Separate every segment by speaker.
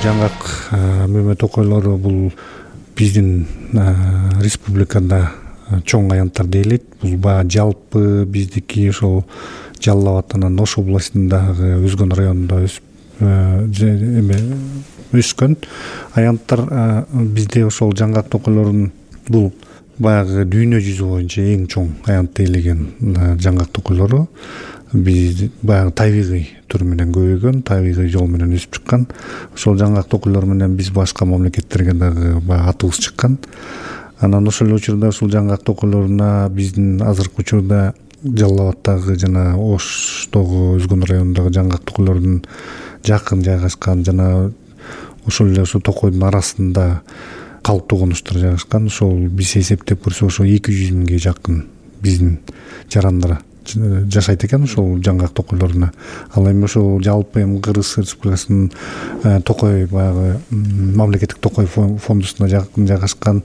Speaker 1: жаңгак мөмө токойлору бул биздин республикада чоң аянттар дейилет. Бул баягы жалпы биздики ошол Жалал Абад анан Ош областындагы Өзгөн районунда өскөн аянттар. Бизде ошол жаңгак токойлорунун бул баягы дүйнө жүзү боюнча эң чоң аянт дейлеген жаңгак токойлору. Биз баягы табигый түр менен көбөйгөн, табигый жол менен өсүп чыккан. Ошол жаңгак токойлор менен биз башка мамлекеттерге дагы баягы атыбыз чыккан. Анан ошол учурда ушул жаңгак токойлоруна биздин азыркы учурда Жалал Абадтагы жана Оштогу Өзгөн районундагы жаңгак токойлордун жакын жайгашкан жана ошол эле ошол токойдун арасында калыптуу конуштар жайгашкан. Ошол биз эсептеп көрсөк ошо 200 миңге жакын биздин жарандар жашайт экен ошол жаңгак токойлоруна. Ал эми ошол жалпы Кыргыз Республикасынын токой баягы мамлекеттик токой фондусуна жакын жайгашкан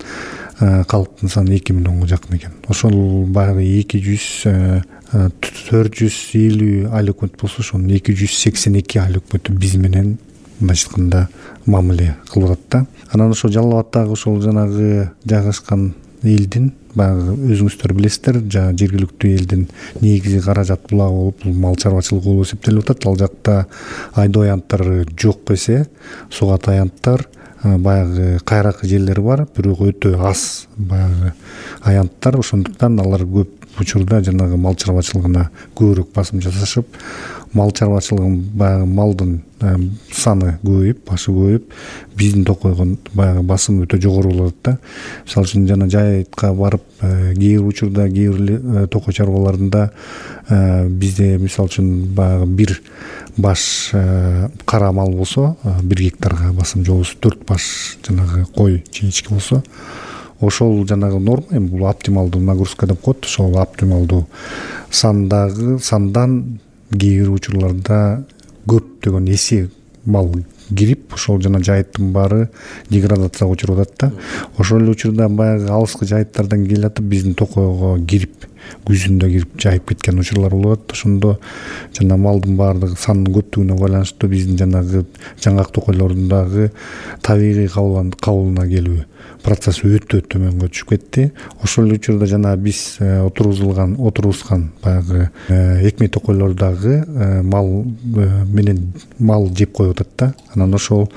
Speaker 1: калктын саны 2 миллионго жакын экен. Ошол баягы 450 айыл өкмөт болсо ошонун 282 айыл өкмөтү биз менен мындайча айтканда мамиле кылып атат да. Анан ошол Жалал Абадтагы ошол жанагы жайгашкан элдин баягы өзүңүздөр билесиздер, жергиликтүү элдин негизи каражат булагы болуп, бул мал чарбачылыгы болуп эсептелип атат. Ал жакта айдоо аянттары жок эсе, сугат аянттар, баягы кайракы жерлери бар, бирок өтө аз баягы аянттар. Ошондуктан алар көп учурда жанагы мал чарбачылыгына көбүрөөк басым жасашып, мал чарбачылыгын баягы малдын саны көбөйүп, башы көбөйүп, биздин токойго баягы басым өтө жогору болот да. Мисалы үчүн жана жайытка барып, кээ бир учурда кээ бир токой чарбаларында бизде мисалы үчүн баягы бир баш кара мал болсо, 1 гектарга басым жобосу 4 баш жанагы кой жинички болсо, ошол жанагы норма, эми бул оптималдуу нагрузка деп коет. Ошол оптималдуу сандан кээ бир учурларда көптөгөн эсе мал кирип, ошол жана жайыттын баары деградацияга учуруп атат да. Ошол эле учурда баягы алыскы жайыттардан келе атып биздин токойго кирип, күзүндө кирип жайып кеткен учурлар болуп атат. Ошондо жана малдын баардыгы санынын көптүгүнө байланыштуу биздин жанагы жаңгак токойлорундагы табигый кабылына келүү процесси өтө төмөнгө түшүп кетти. Ошол эле учурда жана биз отургузган баягы экме токойлордагы мал менен мал жеп коюп атат да. Анан ошол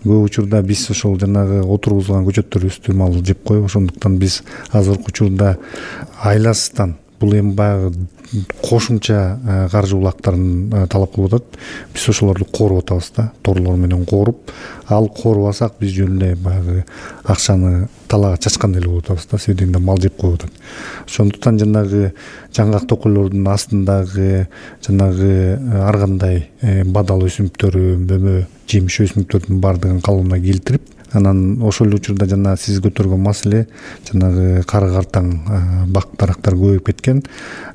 Speaker 1: көп учурда биз ошол жанагы отургузган көчөттөрүбүздү мал жеп коюп, ошондуктан биз азыркы учурда айласыздан бул эми баягы кошумча каржы булактарын талап кылып атат. Биз ошолорду кооруп атабыз да, торлор менен кооруп, ал коорубасак биз жөн эле баягы акчаны талаага чачкан эле болуп атабыз да, себебинде мал жеп коюп атат. Ошондуктан жанагы жаңгак токойлордун астындагы жанагы ар кандай бадал өсүмдүктөрү, мөмө жемиш өсүмдүктөрдүн баардыгын калыбына келтирип, анан ошол эле учурда жана сиз көтөргөн маселе жанагы кары картаң бак дарактар көбөйүп кеткен.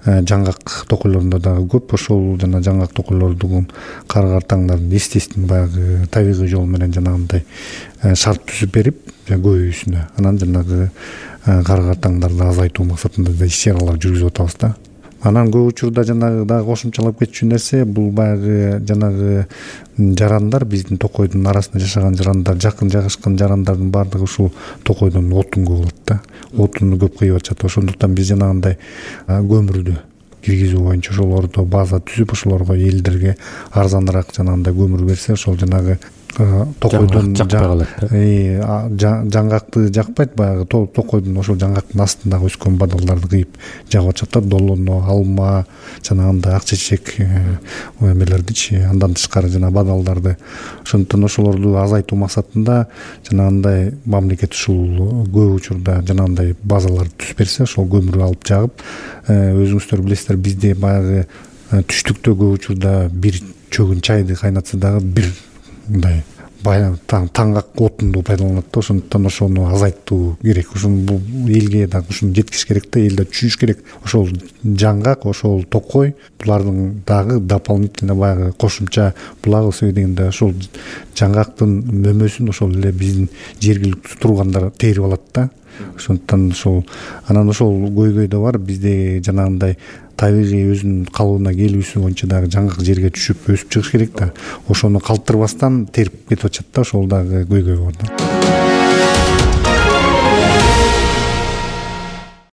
Speaker 1: Жаңгак токойлорунда дагы көп. Ошол жана жаңгак токойлордун кары картаңдардын естественно баягы табигый жол менен жанагындай шарт түзүп берип көбөйүүсүнө, анан жанагы кары картаңдарды азайтуу максатында да иш-чаралар жүргүзүп атабыз да. Анан көп учурда жанагы дагы кошумчалап кетчү нерсе, бул баягы жанагы жарандар, биздин токойдун арасында жашаган жарандар, жакын жайгашкан жарандардын баардыгы ушул токойдон отун көп алат да. Отунду көп кыйып атышат. Ошондуктан биз жанагындай көмүрдү киргизүү боюнча ошолордо база түзүп, ошолорго элдерге арзаныраак жанагындай көмүр берсе, ошол жанагы токойдон жаңгакты жакпайт, баягы токойдун ошол жаңгактын астындагы өскөн бадалдарды кыйып жагып атышат да, долоно, алма, жанагындай ак чечек эмелердичи, андан тышкары жана бадалдарды. Ошондуктан ошолорду азайтуу максатында жанагындай мамлекет ушул көп учурда жанагындай базаларды түзүп берсе, ошол көмүрү алып жагып, өзүңүздөр билесиздер, бизде баягы түштүктө көп учурда бир чөгүн чайды кайнатса дагы бир мындай таңгак отунду пайдаланат да. Ошондуктан ошону азайтуу керек. Ошону бул элге дагы ушуну жеткизиш керек да, эл да түшүнүш керек. Ошол жаңгак, ошол токой булардын дагы дополнительно баягы кошумча булагы себебинде ошол жаңгактын мөмөсүн ошол эле биздин жергиликтүү тургандар терип алат да. ошондуктан ошол анан ошол көйгөй да бар бизде жанагындай табигый өзүнүн калыбына келүүсү боюнча дагы жаңгак жерге түшүп өсүп чыгыш керек да, ошону калтырбастан терип кетип атышат да, ошол дагы көйгөй бар да.